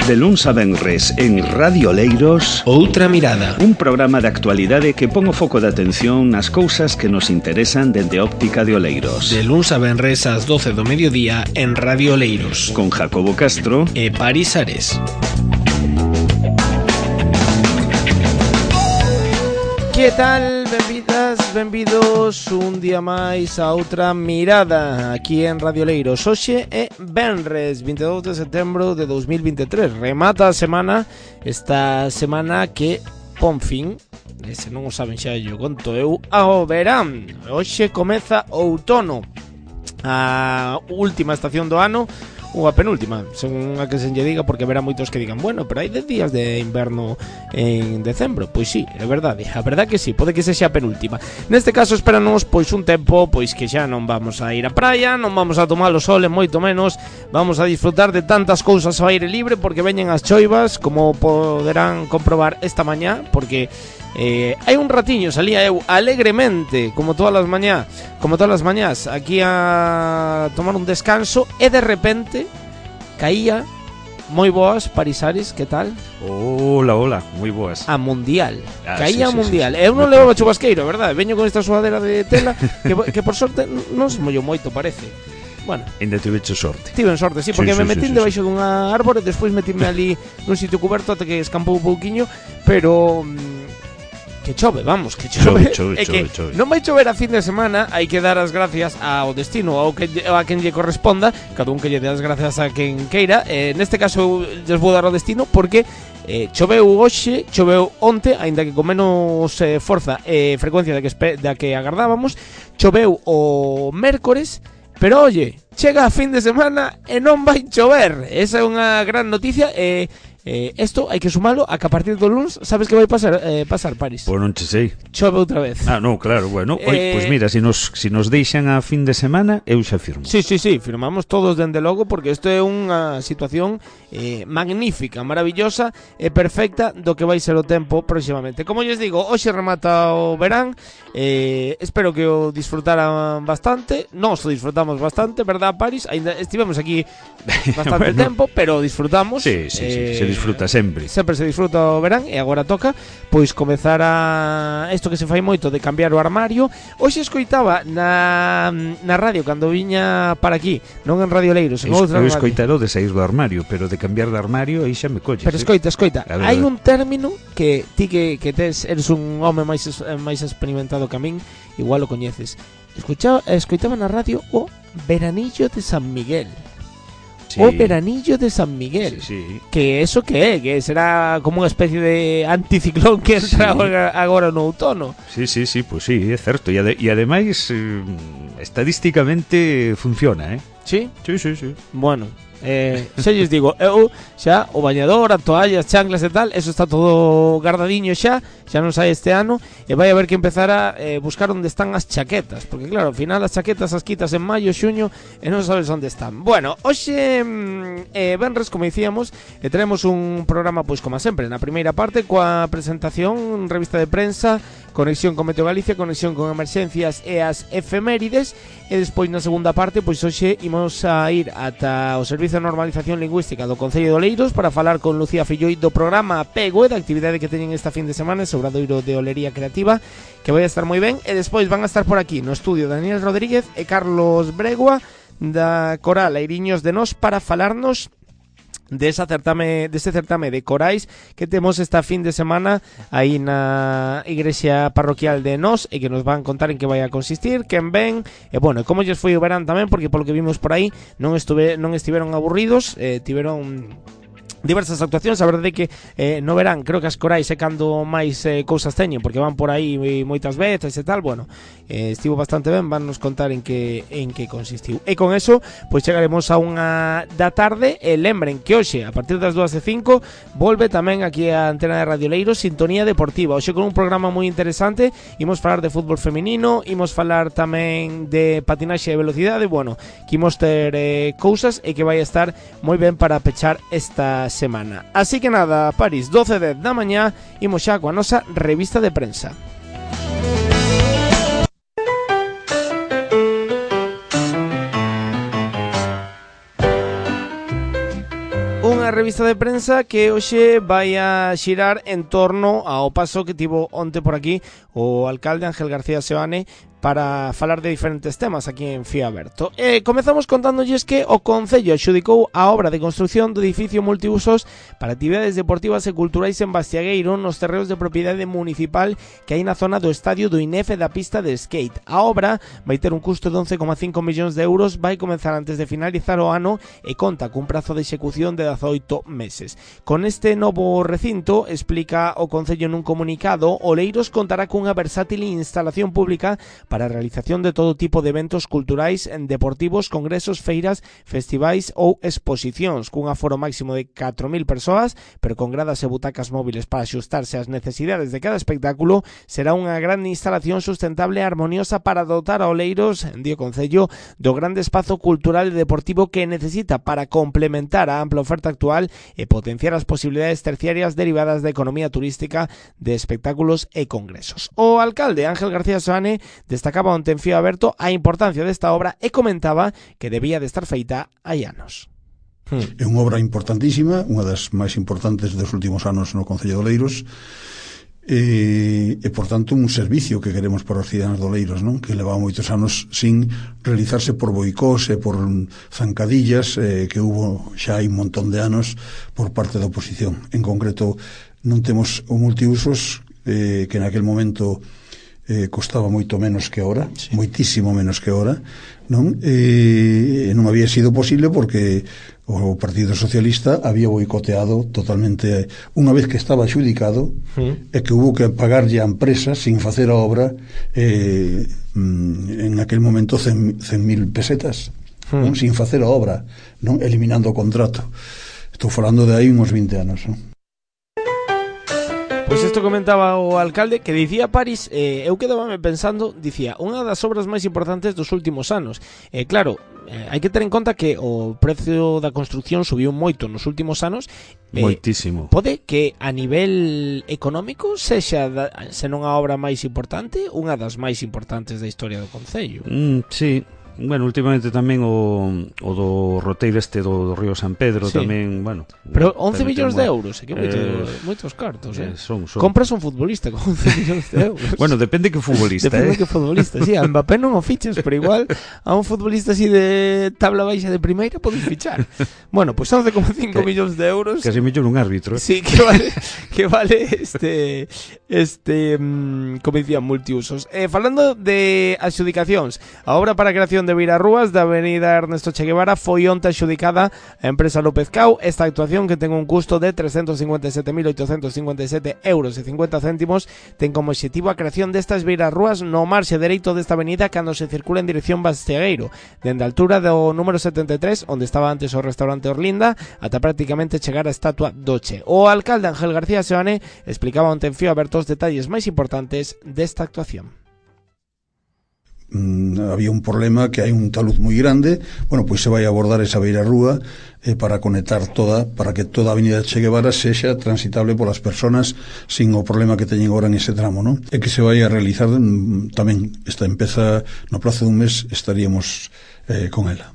De luns a venres en Radio Oleiros, Outra Mirada. Un programa de actualidade que pon o foco de atención nas cousas que nos interesan dende a óptica de Oleiros. De luns a venres ás 12 do mediodía en Radio Oleiros. Con Jacobo Castro e Paris Ares. Que tal? Benvidas, benvidos un día máis a Outra Mirada aquí en Radio Oleiros. Hoxe é venres 22 de setembro de 2023. Remata a semana, esta semana que pon fin, se non o saben xa yo conto eu, ao verán. Hoxe comeza outono, a última estación do ano, ou a penúltima, según a que se lle diga, porque verá moitos que digan, bueno, pero hai 10 días de inverno en decembro. Pois sí, é verdade, a verdade que sí, pode que sexa a penúltima. Neste caso esperanos pois un tempo pois que xa non vamos a ir á praia, non vamos a tomar o sol, e moito menos vamos a disfrutar de tantas cousas ao aire libre, porque veñen as choivas, como poderán comprobar esta mañá, porque hai un ratiño salía eu alegremente como todas as mañás aquí a tomar un descanso, e de repente caía moi boas, Paris Ares, que tal? Hola, moi boas. A Mundial, sí, caía a Mundial. Sí. Eu non levaba chubasqueiro, verdade? Veño con esta sudadera de tela que por sorte non se mollou moito, parece. Bueno, ainda tiveche sorte. Tiven sorte, sí, porque me metín debaixo dunha árbore, despois metíme ali nun sitio cuberto até que escampou un pouquiño, pero que chove, vamos, que chove. Chove. Non vai chover a fin de semana, hai que dar as gracias ao destino, a quen lle corresponda, cada un que lle dé as gracias a quen queira. Neste caso lles vou dar ao destino porque choveu hoxe, choveu onte, aínda que con menos forza e frecuencia da que agardábamos. Choveu o mércores, pero oye, chega a fin de semana e non vai chover. Esa é unha gran noticia. Esto hai que sumalo a que a partir do luns, sabes que vai pasar, Paris? Pois non che sei. Chove outra vez. Non, claro, bueno. Pois mira, se nos deixan a fin de semana, eu xa firmo. Sí, firmamos todos dende logo, porque isto é unha situación magnífica, maravillosa e perfecta do que vai ser o tempo próximamente. Como lles digo, hoxe remata o verán. Espero que o disfrutaran bastante. Nós o disfrutamos bastante, verdad, Paris? Ainda estivemos aquí bastante tempo, pero disfrutamos. Sí, se disfruta sempre. Sempre se disfruta o verán, e agora toca pois comezar a isto que se fai moito de cambiar o armario. Hoxe escoitaba na radio cando viña para aquí, non en Radio Oleiros, en outra radio. Eu escoitaro de sair do armario, pero de cambiar de armario aí xa me colles. Pero escoita, hai un término que ti que eres un home máis experimentado que a min, igual o coñeces. Escoitaba na radio o veranillo de San Miguel. Sí. O veranillo de San Miguel, sí. Que eso que é, que será como unha especie de anticiclón que entra agora no outono. Sí, pois sí, é certo. E ademais estadísticamente funciona, Sí? Sí. Bueno, xa lles digo, eu xa o bañador, a toalla, as chanclas e tal, eso está todo guardadiño xa non sai este ano, e vai haber que empezar a buscar onde están as chaquetas, porque claro, ao final as chaquetas as quitas en maio, xuño, e non sabes onde están. Bueno, hoxe venres, como dicíamos, teremos un programa, pois como sempre, na primeira parte coa presentación, revista de prensa, conexión con Meteo Galicia, conexión con emerxencias e as efemérides, e despois na segunda parte, pois hoxe imos a ir ata o Servizo de Normalización Lingüística do Concello de Oleiros para falar con Lucía Filloi do programa Apego e da actividade que teñen esta fin de semana, ese obradoiro de Olería Creativa, que vai a estar moi ben. E despois van a estar por aquí no estudio Daniel Rodríguez e Carlos Bregua da Coral Airiños de Nós para falarnos deste certame de corais que temos esta fin de semana aí na igrexa parroquial de Nós, e que nos van contar en que vai a consistir, quen ven, e bueno, como lles foi o verán tamén, porque polo que vimos por aí non estiveron aburridos, tiveron diversas actuacións. A verdade é que no verán creo que as corais é cando máis cousas teñen, porque van por aí moitas veces e tal. Bueno, estivo bastante ben, van nos contar en que consistiu. E con eso, pois chegaremos a unha da tarde. E lembren que hoxe, a partir das 2:05, volve tamén aquí a antena de Radio Oleiros Sintonía Deportiva. Hoxe con un programa moi interesante. Imos falar de fútbol feminino, imos falar tamén de patinaxe de velocidade. Bueno, que imos ter cousas, e que vai estar moi ben para pechar esta semana. Así que nada, Paris, 12:10 da mañá, imos xa coa nosa revista de prensa. revista de prensa que hoxe vai a xirar en torno ao paso que tivo onte por aquí o alcalde Ángel García Seoane para falar de diferentes temas aquí en Fío Aberto. Comezamos contándolles que o Concello adxudicou a obra de construción do edificio multiusos para actividades deportivas e culturais en Bastiagueiro nos terreos de propiedade municipal que hai na zona do estadio do INEF e da pista de skate. A obra vai ter un custo de 11,5 millóns de euros, vai comenzar antes de finalizar o ano e conta cun prazo de execución de 18 meses. Con este novo recinto, explica o Concello nun comunicado, Oleiros contará cunha versátil instalación pública para a realización de todo tipo de eventos culturais, deportivos, congresos, feiras, festivais ou exposicións, cun aforo máximo de 4.000 persoas, pero con gradas e butacas móviles para axustarse ás necesidades de cada espectáculo. Será unha gran instalación sustentable e armoniosa para dotar a Oleiros, di o Concello, do grande espazo cultural e deportivo que necesita para complementar a ampla oferta actual e potenciar as posibilidades terciarias derivadas da economía turística, de espectáculos e congresos. O alcalde Ángel García Seoane destacaba onte en Fío Aberto a importancia desta obra e comentaba que debía de estar feita hai anos. É unha obra importantísima, unha das máis importantes dos últimos anos no Concello de Oleiros, e por tanto un servicio que queremos para os cidadáns de Oleiros, non? Que leva moitos anos sin realizarse por boicós e por zancadillas que hubo xa hai un montón de anos por parte da oposición. En concreto non temos o multiusos que naquel momento costaba moito menos que ahora, sí, moitísimo menos que ahora, non? Non había sido posible porque o Partido Socialista había boicoteado totalmente unha vez que estaba adxudicado e que hubo que pagarlle a empresa sin facer a obra en aquel momento 100.000 pesetas, non? Sin facer a obra, non? Eliminando o contrato. Estou falando de aí uns 20 anos, non? Pois isto comentaba o alcalde, que dicía París, eu quedábame pensando, dicía, unha das obras máis importantes dos últimos anos. Claro, hai que ter en conta que o precio da construcción subiu moito nos últimos anos. Moitísimo. Pode que a nivel económico sexa, se non a obra máis importante, unha das máis importantes da historia do Concello. Sí. Bueno, últimamente tamén o do roteiro este do Río San Pedro, sí, tamén, bueno. Pero 11 millóns de euros, que moitos cartos, son. Compras un futbolista con 11 millóns de euros. Bueno, depende que futbolista, Depende que futbolista, sí, a Mbappé non o fiches, pero igual a un futbolista así de tabla baixa de primeira podes fichar. Bueno, pues 11,5 millóns de euros. Casi millón un árbitro. Sí, que vale como dicían, multiusos. Falando de adxudicacións, a obra para a creación de Beirarrúas da avenida Ernesto Che Guevara foi onte adxudicada a empresa López Cao. Esta actuación, que ten un custo de 357.857 euros e 50 céntimos, ten como objetivo a creación destas beirarrúas no marxe dereito desta avenida cando se circula en dirección Bastiagueiro, dende a altura do número 73, onde estaba antes o restaurante Orlinda, ata prácticamente chegar a estatua do Che. O alcalde Ángel García Seoane explicaba onte en Fío Aberto os detalles máis importantes desta actuación. Había un problema que hai un talud moi grande. Bueno, pois se vai abordar esa beirarrúa para conectar para que toda a avenida Che Guevara sexa transitable polas persoas sin o problema que teñen agora en ese tramo, non? E que se vai a realizar tamén, esta empeza no prazo dun mes, estaríamos con ela.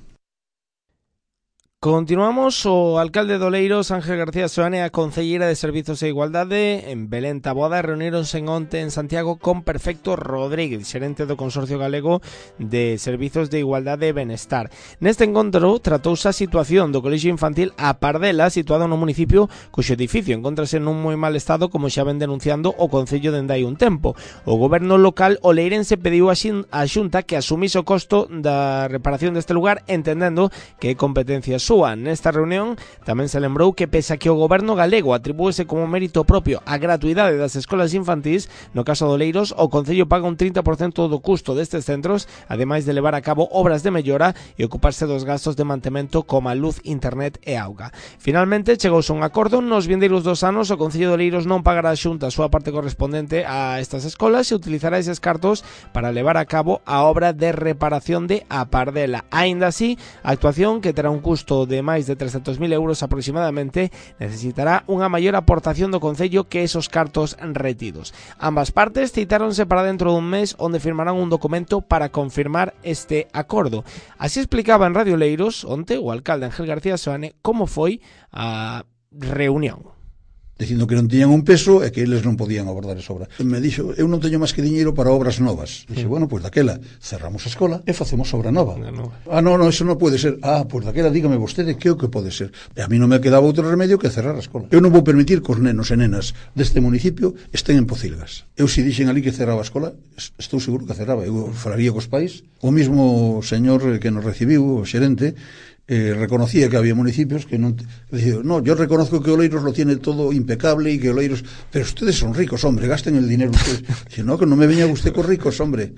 Continuamos. O alcalde de Oleiros, Ángel García Seoane, a concelleira de Servizos e Igualdade, en Belén Taboada, reuníronse onte en Santiago con Perfecto Rodríguez, xerente do Consorcio Galego de Servizos de Igualdade e Benestar. Neste encontro tratouse a situación do colexio infantil A Pardela, situado no municipio, cuxo edificio encontrase nun moi mal estado, como xa ven denunciando o Concello dende hai un tempo. O goberno local oleirense pediu a Xunta que asumise o costo da reparación deste lugar, entendendo que é competencia súa. Nesta reunión tamén se lembrou que, pese a que o goberno galego atribúese como mérito propio a gratuidade das escolas infantís, no caso de Oleiros, o Concello paga un 30% do custo destes centros, ademais de levar a cabo obras de mellora e ocuparse dos gastos de mantemento como a luz, internet e auga. Finalmente, chegouse un acordo. Nos vindeiros 2 anos, o Concello de Oleiros non pagará a Xunta a súa parte correspondente a estas escolas e utilizará eses cartos para levar a cabo a obra de reparación de A Pardela. Aínda así, a actuación, que terá un custo presuposto de máis de 300.000 euros aproximadamente, necesitará unha maior aportación do Concello que esos cartos retidos. Ambas partes citáronse para dentro dun mes onde firmarán un documento para confirmar este acordo. Así explicaba en Radio Oleiros onte o alcalde Ángel García Seoane como foi a reunión. Dicindo que non tiñan un peso e que eles non podían abordar esa obra. Me dixo, eu non teño máis que diñeiro para obras novas. Dixe, bueno, pois daquela cerramos a escola e facemos obra nova. No, eso non pode ser. Pois daquela dígame vostede que é o que pode ser. E a mí non me quedaba outro remedio que cerrar a escola. Eu non vou permitir que os nenos e nenas deste municipio estén en pocilgas. Eu se dixen ali que cerraba a escola, estou seguro que cerraba. Eu falaría cos pais. O mismo señor que nos recibiu, o xerente, reconocía que había municipios que non... Decía, no, yo reconozco que Oleiros lo tiene todo impecable y que Oleiros... Pero ustedes son ricos, hombre, gasten el dinero ustedes. Dice, no, que non me veña usted con ricos, hombre.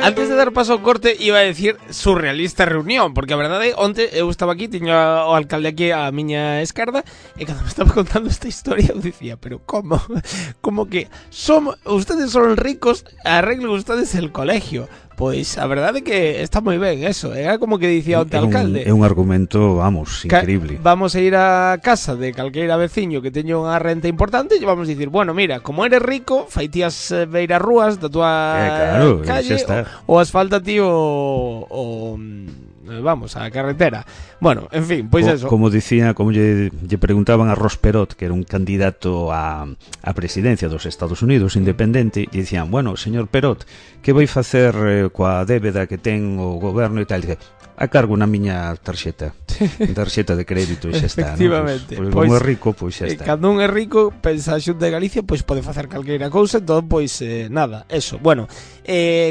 Antes de dar paso ao corte iba a decir surrealista reunión, porque a verdade onte eu estaba aquí, tiño o alcalde aquí a miña esquerda e cando me estaba contando esta historia eu dicía, pero como que ustedes son ricos, arreglen ustedes el colegio. Pois a verdade é que está moi ben eso. Era como que dicía o alcalde. É un argumento, vamos, increíble. Vamos a ir a casa de calqueira veciño que teño unha renta importante e vamos a dicir, bueno, mira, como eres rico, faitías beiras rúas da tua calle ou asfalta ti vamos, a carretera. Bueno, en fin, pois eso. Como dicía, como lle preguntaban a Ross Perot, que era un candidato a presidencia dos Estados Unidos independente, e dicían, bueno, señor Perot, que vai facer coa débeda que ten o goberno e tal? Dice, a cargo na miña tarxeta de crédito e xa está. Efectivamente. Pois como é rico, pois xa está. Cando un é rico, pensa a Xunta de Galicia, pois pode facer calqueira cousa, entón, pois nada, eso. Bueno,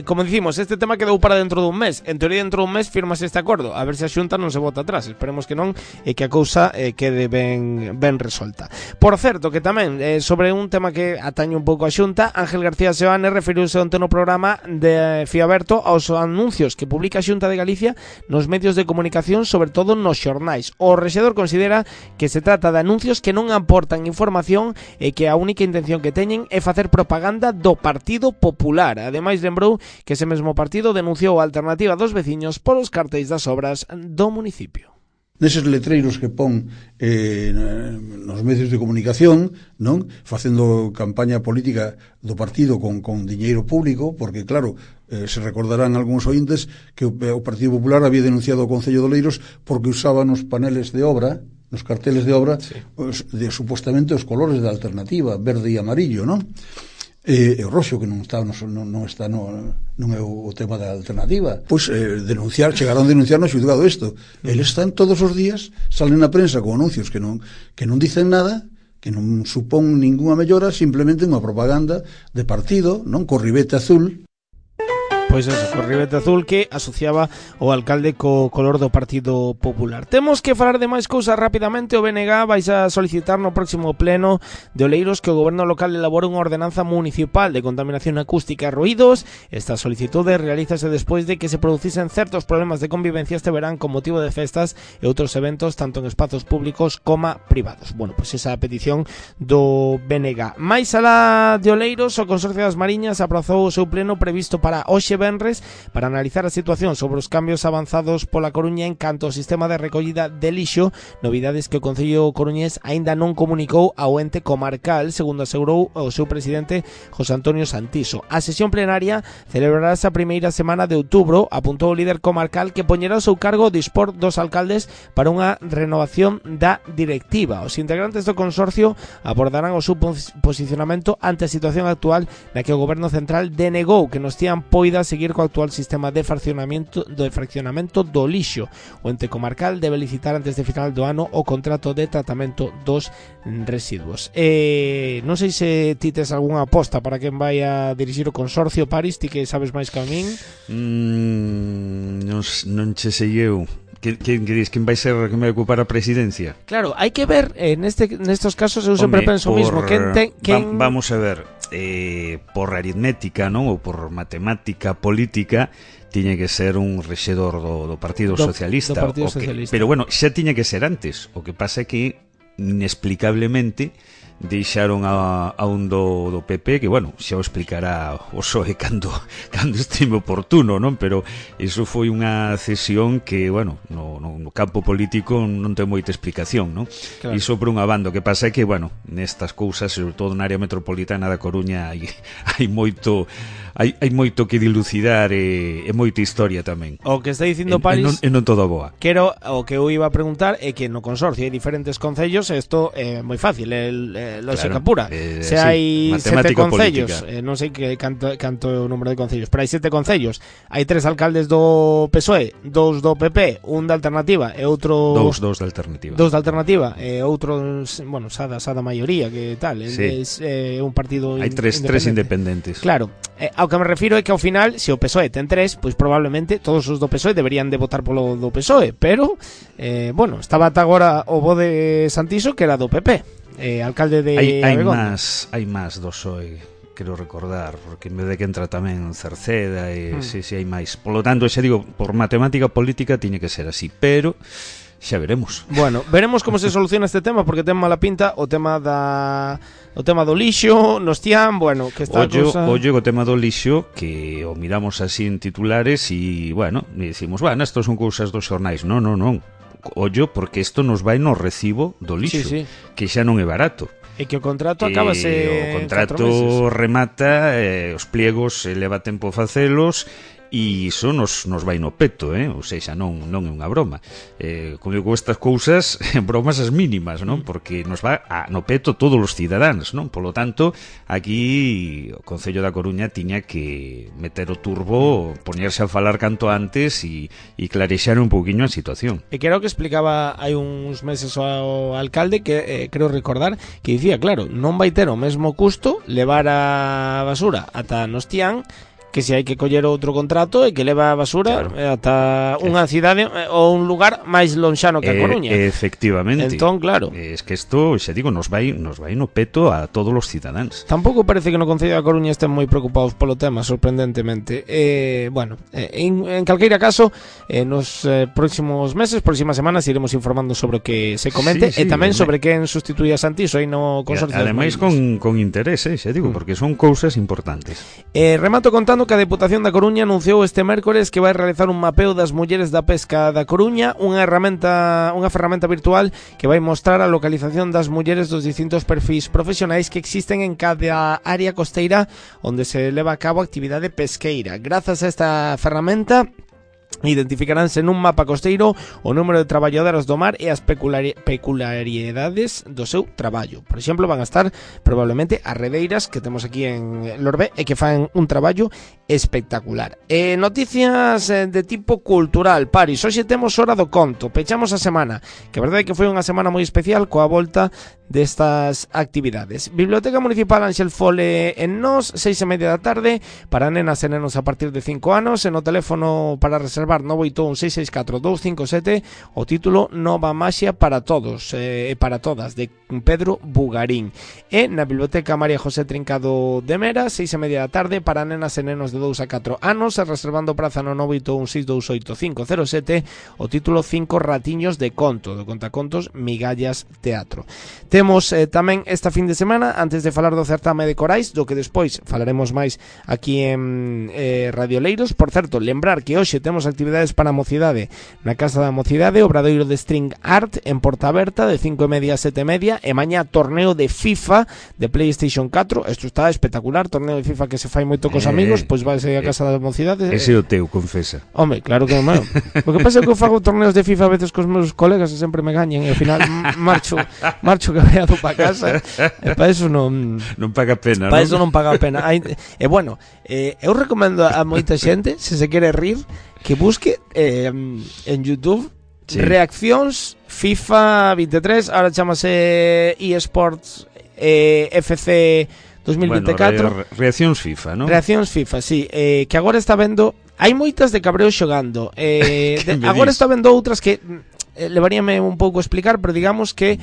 como dicimos, este tema quedou para dentro dun mes. En teoría, dentro dun mes firmas este acordo. A ver se a Xunta non se bota atrás. Esperemos que non e que a cousa quede ben resolta. Por certo, que tamén, sobre un tema que atañe un pouco a Xunta, Ángel García Seoane referiuse onte no programa de Fiaberto aos anuncios que publica a Xunta de Galicia nos medios de comunicación, sobre todo nos xornais. O rexedor considera que se trata de anuncios que non aportan información e que a única intención que teñen é facer propaganda do Partido Popular. Ademais, lembrou que ese mesmo partido denunciou a alternativa dos veciños polos cartéis das obras do municipio. Neses letreiros que pon nos medios de comunicación, non, facendo campaña política do partido con diñeiro público, porque claro, se recordarán algúns ointes que o Partido Popular había denunciado o Concello de Oleiros porque usaba nos paneles de obra, nos carteles de obra, sí, supuestamente os colores da alternativa, verde e amarillo, non? E o roxo, que non é o tema da alternativa. Pois chegaron a denunciar no xulgado isto. Eles están todos os días, salen na prensa con anuncios que non dicen nada, que non supón ninguna mellora, simplemente unha propaganda de partido, non, co ribete azul. Pois eso, co ribete azul que asociaba o alcalde co color do Partido Popular. Temos que falar de máis cousas rapidamente. O BNG vais a solicitar no próximo pleno de Oleiros que o goberno local elabore unha ordenanza municipal de contaminación acústica e ruídos. Esta solicitude realízase despois de que se producisen certos problemas de convivencia este verán con motivo de festas e outros eventos tanto en espazos públicos como privados. Bueno, pois esa petición do BNG. Mais alá de Oleiros, o Consorcio das Mariñas aprazou o seu pleno previsto para hoxe venres para analizar a situación sobre os cambios avanzados pola Coruña en canto ao sistema de recollida de lixo, novidades que o Concello coruñés aínda non comunicou ao ente comarcal, segundo asegurou o seu presidente José Antonio Santiso. A sesión plenaria celebrarase a primeira semana de outubro, apuntou o líder comarcal que poñerá o seu cargo dispor dos alcaldes para unha renovación da directiva. Os integrantes do consorcio abordarán o seu posicionamento ante a situación actual na que o goberno central denegou que nos tían poidas seguir co actual sistema de fraccionamento do lixo. O ente comarcal debe licitar antes de final do ano o contrato de tratamento dos residuos. Non sei se ti tes algunha aposta para quen vai a dirixir o consorcio, Paris, ti que sabes máis que a min. Non che sei eu. Quen vai ser quen vai ocupar a presidencia? Claro, hai que ver nestos casos eu sempre penso o mismo. Vamos a ver, por aritmética, non, ou por matemática política, tiña que ser un rexedor do Partido Socialista. Do Partido Socialista. Pero bueno, xa tiña que ser antes. O que pasa é que inexplicablemente deixaron a un do PP, que bueno, xa o explicará o PSOE cando estime oportuno, non? Pero iso foi unha cesión que, bueno, no no campo político non ten moita explicación, non? Claro. Iso por unha banda, o que pasa é que, bueno, nestas cousas, sobre todo na área metropolitana da Coruña, hai moito que dilucidar e moita historia tamén. O que está dicindo Paris e non todo boa. Quero, o que eu iba a preguntar é que no consorcio hai diferentes concellos, isto é moi fácil, lógica pura. Se hai 7 concellos, non sei que canto é o número de concellos, pero hai 7 concellos, hai 3 alcaldes do PSOE, 2 do PP, un da Alternativa e outro... Dous da Alternativa. Dos da Alternativa e outro, bueno, xa da maioría, que tal, sí. É un partido hai tres independentes. Claro, ao que me refiro é que ao final, se o PSOE ten 3, pois probablemente todos os do PSOE deberían de votar polo do PSOE, pero, bueno, estaba ata agora o bo de Santiso, que era do PP, alcalde de Abegondo. Hai máis do PSOE, quero recordar, porque en vez de que entra tamén Cerceda e si hai máis. Polo tanto, xa digo, por matemática política tiñe que ser así, pero xa veremos. Bueno, veremos como se soluciona este tema, porque ten mala pinta o tema do lixo, nos tian, bueno, que está Ollo o tema do lixo, que o miramos así en titulares e, bueno, decimos, bueno, estos son cousas dos xornais. Non. Ollo, porque isto nos vai no recibo do lixo, sí. que xa non é barato. E que o contrato acabase o contrato remata, os pliegos leva tempo facelos, e iso nos vai no peto, ou seja, non é unha broma. Como digo, estas cousas, bromas as mínimas, non? Porque nos va no peto todos os cidadáns, non? Polo tanto, aquí o Concello da Coruña tiña que meter o turbo, poñerse a falar canto antes e clarexar un pouquiño a situación. E que era o que explicaba hai uns meses ao alcalde, que creo recordar, que dicía, claro, non vai ter o mesmo custo levar a basura ata Nostián que se hai que coller outro contrato e que leva a basura, claro, ata unha cidade ou un lugar máis lonxano que a Coruña. Efectivamente. Entón, claro. Es que isto, xa digo, nos vai no peto a todos os cidadáns. Tampouco parece que no Concello da Coruña estén moi preocupados polo tema, sorprendentemente. Bueno, en calqueira caso, nos próximos meses, próximas semanas, iremos informando sobre o que se comente, e tamén sobre quen sustituye a Santiso aí no consorcio. Ademais con interés, xa digo, porque son cousas importantes. Remato contando que a Deputación da Coruña anunciou este mércores que vai realizar un mapeo das mulleres da pesca da Coruña, unha ferramenta virtual que vai mostrar a localización das mulleres dos distintos perfis profesionais que existen en cada área costeira onde se leva a cabo a actividade pesqueira. Grazas a esta ferramenta identificaránse nun mapa costeiro o número de traballadoras do mar e as peculiaridades do seu traballo. Por exemplo, van a estar probablemente as redeiras que temos aquí en Lorbé e que fan un traballo espectacular. Noticias de tipo cultural. Paris, hoxe temos hora do conto, pechamos a semana, que a verdade é que foi unha semana moi especial coa volta destas actividades. Biblioteca Municipal Ángel Fole en Nos, 6:30 da tarde, para nenas e nenos a partir de 5 anos, e no teléfono para reservar 981-664-257, o título Nova Maxia para todos e para todas, de Pedro Bugarín. E na Biblioteca María José Trincado de Mera, 6:30 da tarde, para nenas e nenos de 2 a 4 anos, e reservando praza no 981-628-507, o título 5 ratiños de conto, do contacontos Migallas Teatro. Temos tamén esta fin de semana, antes de falar do certame de corais, do que despois falaremos máis aquí en Radio Leiros. Por certo, lembrar que hoxe temos actividades para a mocidade na Casa da Mocidade, obradoiro de String Art en Porta Aberta de 5:30 a 7:30, e mañá torneo de FIFA de PlayStation 4. Isto está espectacular, torneo de FIFA que se fai moito cos amigos, pois vai ser a Casa da Mocidade. Ese é o teu, confesa. Home, claro que non. O que pasa é que eu fago torneos de FIFA a veces cos meus colegas e sempre me gañen, e ao final marcho cabreado para casa, e para eso non paga pena, para eso non paga pena. E bueno, eu recomendo a moita xente, se se quere rir, que busque en YouTube reaccións FIFA 23, ahora chamase eSports FC 2024. Bueno, reaccións FIFA, ¿no? Reaccións FIFA, sí, que agora está vendo, hai moitas de cabreo xogando. Agora está vendo outras que levaríame un pouco a explicar, pero digamos que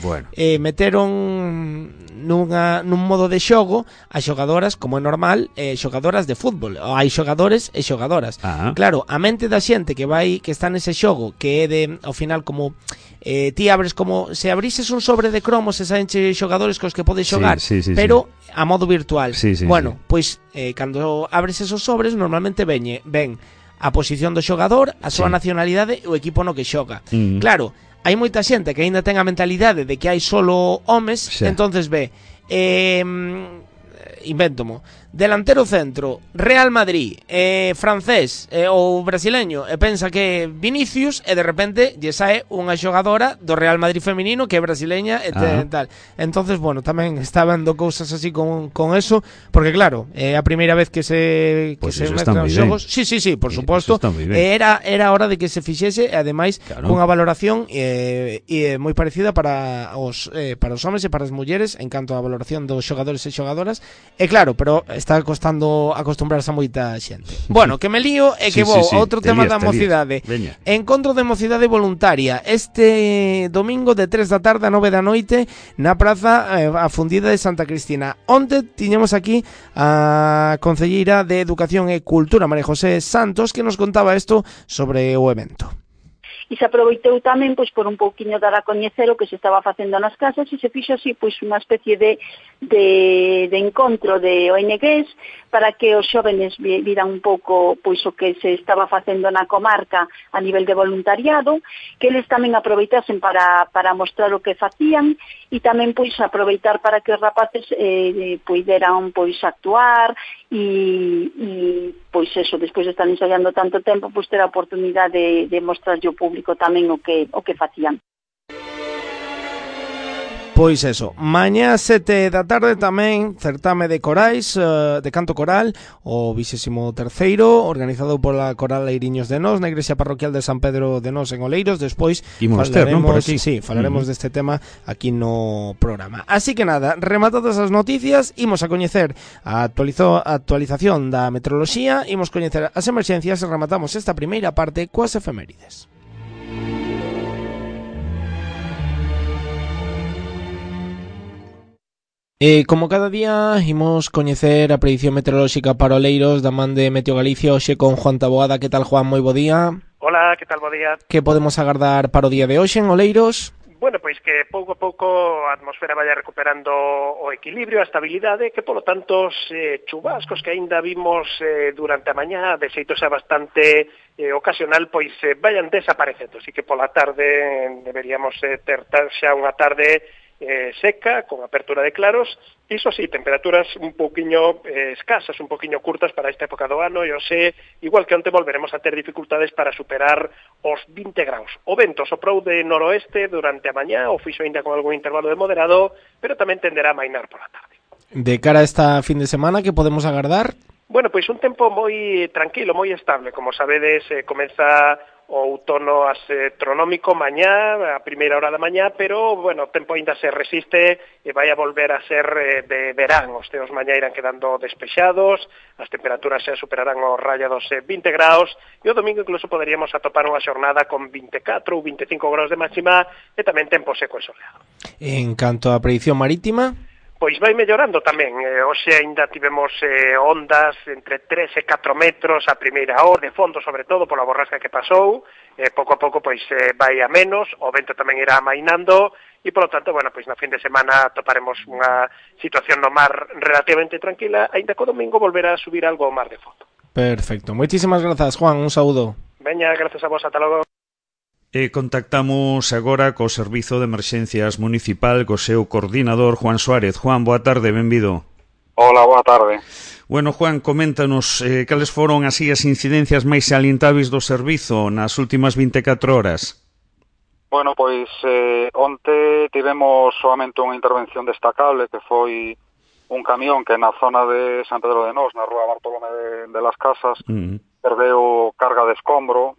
meteron nun modo de xogo a xogadoras, como é normal, xogadoras de fútbol. Hai xogadores e xogadoras. Claro, a mente da xente que está nese xogo, que é de, ao final, como ti abres como se abrises un sobre de cromos e saenche xogadores cos que podes xogar, pero a modo virtual. Bueno, pois cando abres esos sobres normalmente ven a posición do xogador, a súa Sí. nacionalidade e o equipo no que xoga. Claro, hai moita xente que aínda ten a mentalidade de que hai solo homes, Sí. entonces ve invéntomo, delantero centro, Real Madrid, francés ou brasileño, e pensa que é Vinicius, e de repente lle sae unha xogadora do Real Madrid feminino que é brasileña e tal. Entonces, bueno, tamén está vendo cousas así con eso, porque claro, é a primeira vez que se Pues que se eso está mezclan moi os ben. xogos. Sí, por Eso suposto. está moi ben. Era hora de que se fixese, e ademais Claro. cunha valoración moi parecida para os homes e para as mulleres en canto á valoración dos xogadores e xogadoras. E claro, pero está costando acostumbrarse a moita xente. Bueno, que me lío e que vou a outro te tema lías, da te lías. mocidade. Veña. Encontro de mocidade voluntaria este domingo de 3 da tarde a 9 da noite na praza a Fundida de Santa Cristina. Onte tiñemos aquí a concelleira de Educación e Cultura, María José Santos, que nos contaba isto sobre o evento. E se aproveitou tamén pois por un pouquiño dar a coñecer o que se estaba facendo nas casas e se fixo así pois unha especie de encontro de ONGs para que os xóvenes viran un pouco pois o que se estaba facendo na comarca a nivel de voluntariado, que eles tamén aproveitasen para mostrar o que facían e tamén pois aproveitar para que os rapaces puideran pois actuar e pois eso, despois de estar ensaiando tanto tempo, pois ter a oportunidade de mostrarlle ao público tamén o que facían. Pois eso, mañá 7 da tarde tamén certame de corais, de canto coral, o 23º, organizado pola Coral Leiriños de Nós, na Igrexa Parroquial de San Pedro de Nós en Oleiros. Despois falaremos deste tema aquí no programa. Así que nada, rematadas as noticias, imos a coñecer a actualización da meteoroloxía, imos coñecer as emerxencias e rematamos esta primeira parte coas efemérides. Como cada día, imos coñecer a predicción meteorolóxica para Oleiros da man de Meteo Galicia, hoxe con Juan Taboada. Que tal, Juan? Moi bo día. Hola, que tal, bo día? Que podemos agardar para o día de hoxe en Oleiros? Bueno, pois que pouco a pouco a atmosfera vaya recuperando o equilibrio, a estabilidade, que polo tanto os chubascos que aínda vimos durante a mañá, de xeito xa bastante ocasional, pois vayan desaparecendo. Así que pola tarde deberíamos ter xa unha tarde seca, con apertura de claros, iso sí, temperaturas un pouquiño escasas, un pouquiño curtas para esta época do ano, e hoxe, igual que onte, volveremos a ter dificultades para superar os 20 graus. O vento soprou de noroeste durante a mañá, o fixo ainda con algún intervalo de moderado, pero tamén tenderá a mainar pola tarde. De cara a esta fin de semana, que podemos agardar? Bueno, pois un tempo moi tranquilo, moi estable. Como sabedes, comeza o outono astronómico mañá, a primeira hora da mañá, pero, bueno, o tempo ainda se resiste e vai a volver a ser de verán. Os teos mañá irán quedando despexados, as temperaturas se superarán o raya dos 20 graus, e o domingo incluso poderíamos atopar unha xornada con 24 ou 25 graus de máxima e tamén tempo seco e soleado. En canto á predicción marítima? Pois vai mellorando tamén. Hoxe aínda tivemos ondas entre 3 e 4 metros a primeira hora, de fondo sobre todo pola borrasca que pasou. Pouco a pouco pois vai a menos, o vento tamén irá amainando e polo tanto, bueno, pois na fin de semana toparemos unha situación no mar relativamente tranquila, aínda que o domingo volverá a subir algo o mar de fondo. Perfecto. Moitísimas grazas, Juan, un saúdo. Veña, grazas a vos, ata logo. E contactamos agora co Servizo de Emerxencias Municipal co seu coordinador, Juan Suárez. Juan, boa tarde, benvido. Hola, boa tarde. Bueno, Juan, coméntanos cales foron así as incidencias máis salientáveis do servizo nas últimas 24 horas. Bueno, pois onte tivemos solamente unha intervención destacable que foi un camión que na zona de San Pedro de Nós, na rúa Bartolomé de las Casas, perdeu carga de escombro,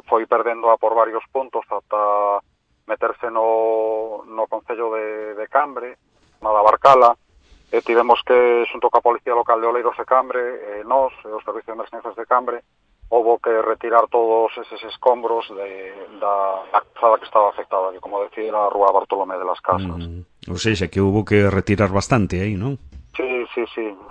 foi perdendo por varios puntos ata meterse no Concello de Cambre, na da Barcala, e tivemos que, xunto coa Policía Local de Oleiros e Cambre, nós, os Servicios de Emergencias de Cambre, houbo que retirar todos eses escombros da calzada que estaba afectada, que, como decía, era a rúa Bartolomé de las Casas. Ou seja, que houbo que retirar bastante aí, non? Sí.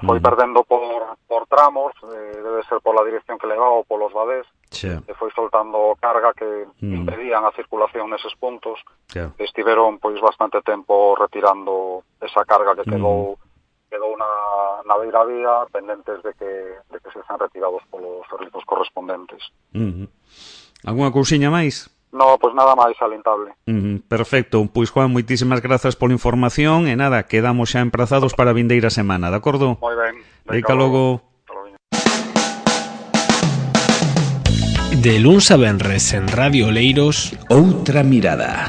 Foi perdendo por tramos, debe ser pola dirección que levaba ou polos badés, e foi soltando carga que impedían a circulación neses puntos. Estiveron pois bastante tempo retirando esa carga que quedou na beiravía, pendentes de que se sean retirados polos servizos correspondentes. Alguna cousiña máis? No, pois nada máis alentable. Perfecto, pois Juan, moitísimas grazas pola información e nada, quedamos xa emprazados para a vindeira semana, de acordo? Moi ben. Deica logo. De luns a venres en Radio Oleiros, Outra mirada.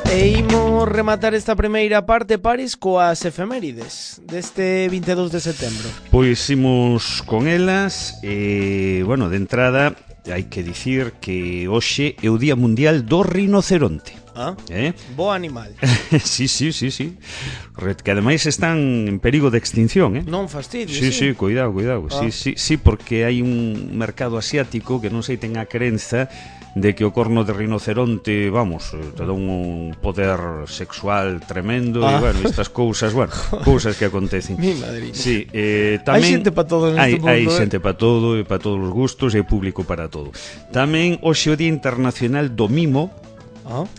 E imos rematar esta primeira parte, Paris, coas efemérides deste 22 de setembro. Pois imos con elas e, bueno, de entrada hai que dicir que hoxe é o Día Mundial do Rinoceronte. Bo animal. Sí. Que ademais están en perigo de extinción, Non fastidio, sí, cuidado. Sí, porque hai un mercado asiático que non sei ten a crenza de que o corno de rinoceronte, vamos, te dá un poder sexual tremendo e, bueno, estas cousas, cousas que acontecen. Mi madriña. Sí, tamén hai xente para todo neste mundo. Hai xente para todo e para todos os gustos e público para todo. Tamén hoxe o Día Internacional do Mimo,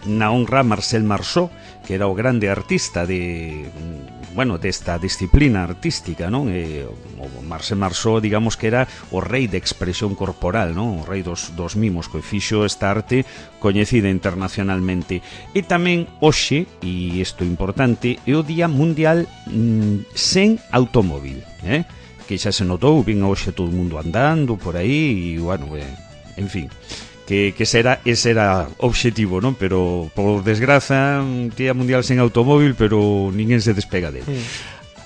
na honra a Marcel Marceau, que era o grande artista desta disciplina artística, non? O Marcel Marceau, digamos que era o rei de expresión corporal, non? O rei dos mimos, que fixo esta arte coñecida internacionalmente. E tamén hoxe, e isto é importante, é o Día Mundial sen automóvil, que xa se notou, vin hoxe todo o mundo andando por aí, e, bueno, en fin, que ese era o obxectivo, non? Pero, por desgraza, Día Mundial sen automóvil, pero ninguén se despega dele.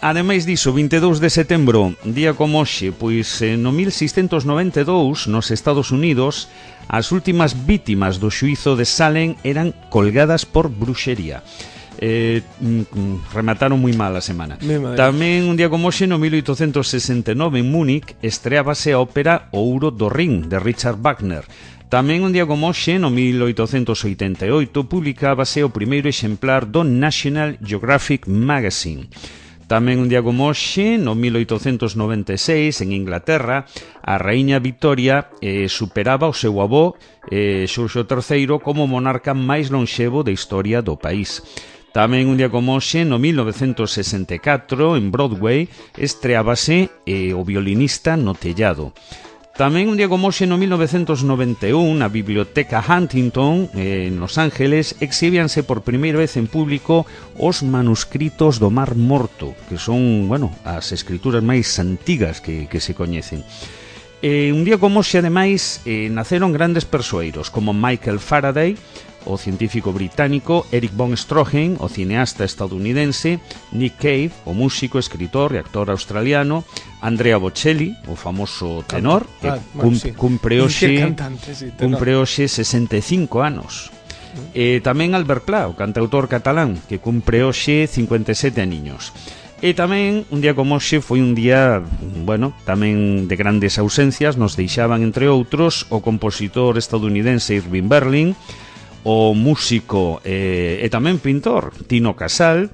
Ademais diso, 22 de setembro, día como hoxe, pois no 1692, nos Estados Unidos, as últimas vítimas do xuízo de Salem eran colgadas por bruxería. Remataron moi mal a semana. Tamén un día como hoxe, no 1869, en Múnich, estreábase a ópera O Ouro do Rin, de Richard Wagner. Tamén un día como hoxe, no 1888, publicábase o primeiro exemplar do National Geographic Magazine. Tamén un día como hoxe, no 1896, en Inglaterra, a raíña Victoria superaba o seu avó, Xurxo III, como monarca máis lonxevo da historia do país. Tamén un día como hoxe, no 1964, en Broadway, estreábase O violinista no tellado. Tamén un día como hoxe, no 1991, na Biblioteca Huntington, en Los Ángeles, exhibíanse por primeira vez en público os manuscritos do Mar Morto, que son, bueno, as escrituras máis antigas que se coñecen. Un día como hoxe, ademais, naceron grandes persoeiros, como Michael Faraday, o científico británico, Eric von Stroheim, o cineasta estadounidense, Nick Cave, o músico, escritor e actor australiano, Andrea Bocelli, o famoso tenor, que cumpre hoxe 65 anos. Tamén Albert Pla, o cantautor catalán, que cumpre hoxe 57 aniños. E tamén, un día como hoxe, foi un día, bueno, tamén de grandes ausencias. Nos deixaban, entre outros, o compositor estadounidense Irving Berlin, o músico e tamén pintor Tino Casal,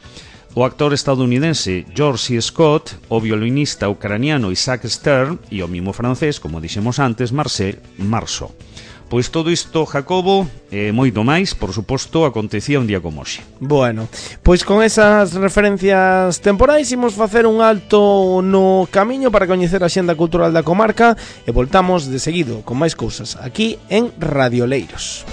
o actor estadounidense George C. Scott, o violinista ucraniano Isaac Stern e o mimo francés, como dixemos antes, Marcel Marceau. Pois todo isto, Jacobo, e moito máis, por suposto, acontecía un día como hoxe. Bueno, pois con esas referencias temporais imos facer un alto no camiño para coñecer a xenda cultural da comarca e voltamos de seguido con máis cousas aquí en Radio Oleiros.